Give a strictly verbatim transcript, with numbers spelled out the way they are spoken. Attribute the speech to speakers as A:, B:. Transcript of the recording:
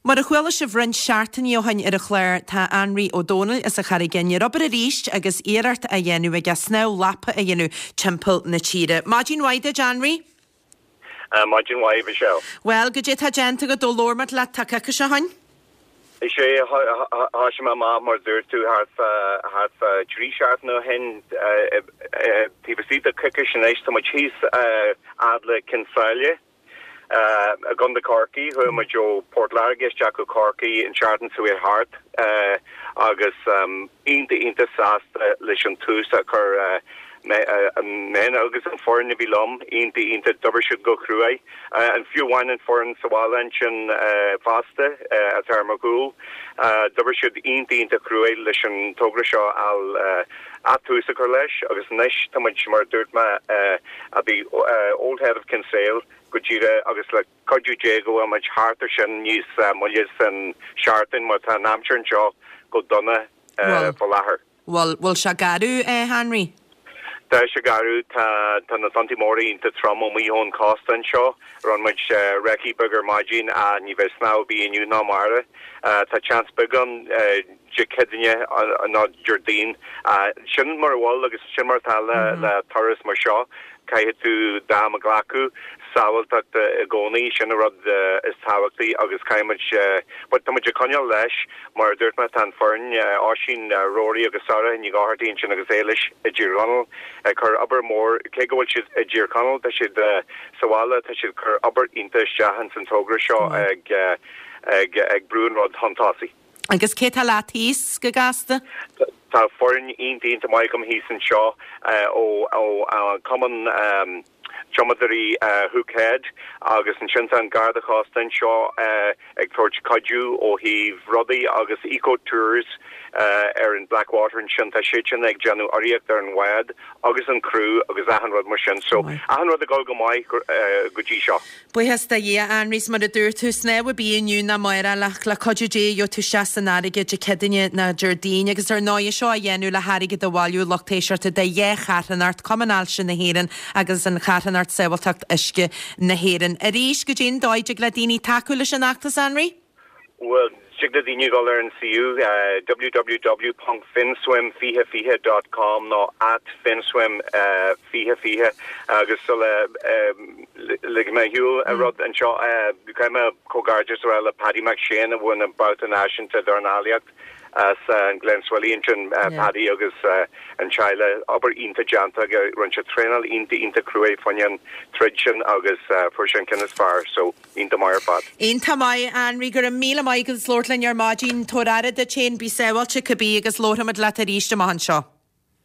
A: Mar a chuala sibh roinnt seachtainí ó shin ar an chlár tá Anraí Ó Dónaill as an Charraig Fhinn ar obair arís agus iarracht á dhéanamh aige snámh lapa a dhéanamh timpeall na tíre. Maidin mhaith duit Anraí?
B: Uh, Maidin mhaith Michelle.
A: Well, goidé tá déanta agat ó labhair muid leat tá coicís ó shin?
B: Is é tá sé má mar dúirt tú thart trí seachtaine ó shin taobh istigh de coicís anois tá muid thíos fhad le Cionn tSáile. i gContae Chorcaí chuaigh muid ó Port Láirge isteach go Corcaigh an tseachtain seo thart agus iontach iontach sásta leis an tús a chur mé agus an foireann a bhí liom iontach iontach d'oibrigh siad go cruaidh an fiú amháin an foireann sa bhaile ansin fosta atá ar mo chúl d'oibrigh siad iontach iontach cruaidh leis an togra seo al tús a chur leis agus anois tá muid mar dúirt mé a bhí Old Head of Kinsale go díreach agus le cuidiú Dé go bhfuil muid thart ar sin níos moille san seachtain mar tá an aimsir anseo go dona faoi láthair.
A: Bhfuil bhfuil sé garbh é Henry?
B: Tá sé garbh tá tá na tonnta móra iontach trom amuigh ón cósta anseo rinne muid recce beag ar maidin a ní bheidh snámh ar bith inniu ná amárach. Tá seans beag ann Dé Céadaoine ná Déardaoin sin mar bhfuil agus sin mar tá le le turas mar seo caithfidh tú d'am a ghlacadh sábháilteacht i gcónaí sin an rud is tábhachtaí agus caithfimid but tá muid ag coinneáil leis mar dúirt mé tá an foireann Oisín Rory agus Sara Ní Dhochartaigh sin agus Éilish i dTír Chonaill ag cur obair mór cé go bhfuil siad i dTír Chonaill tá siad sa bhaile tá siad cur obair iontach isteach in san togra seo ag ag ag brú an rud chun tosaigh.
A: Agus cé tá leat thíos go gasta?
B: Tá foireann iontach iontach maith agam thíos anseo ó ó Cumann Tumadóirí Hook Head agus ansin tá an Garda Cósta anseo ag tabhairt cuidiú ó thaobh rudaí agus eco tours ar an Blackwater ansin tá siad sin ag déanamh urraíocht ar an bhád agus an crew agus achan rud mar sin so achan rud ag dul go maith go dtí seo.
A: Buíochas do Dhia Anraí mar a dúirt tú snámh ar bith inniu ná amárach le cuidiú Dé gheobhaidh tú isteach san fharraige Dé Céadaoine ná Déardaoin agus ar ndóigh seo a dhéanamh le hairgead a bhailiú lucht éisteachta do dhá charthanacht Cumann Ailse na hÉireann agus an charthanacht Sábháilteacht Uisce na hÉireann. Arís goidé an dóigh a dtig le daoine tacú leis an fheachtas Anraí?
B: Well, tig le daoine dul ar an suíomh uh, www.finswim fiche fiche dot com nó at finswim uh, fiche fiche agus so le um, le mé hiúil a rud anseo caithfidh mé comhghairdeas a rá le Paddy McShane a bhain an babhta náisiúnta dornálaíocht as an Glenswilly ansin Paddy agus an teaghlach obair iontach déanta rinne sé traenáil iontach iontach cruaidh fá choinne an troid sin agus fuair sé an ceann is fearr so iontach maith ar fad.
A: Iontach maith Anraí go raibh míle maith agus labhairt linn ar maidin tabhair aire duit féin bí sábháilte cibé agus labharfaimid leat arís amach anseo.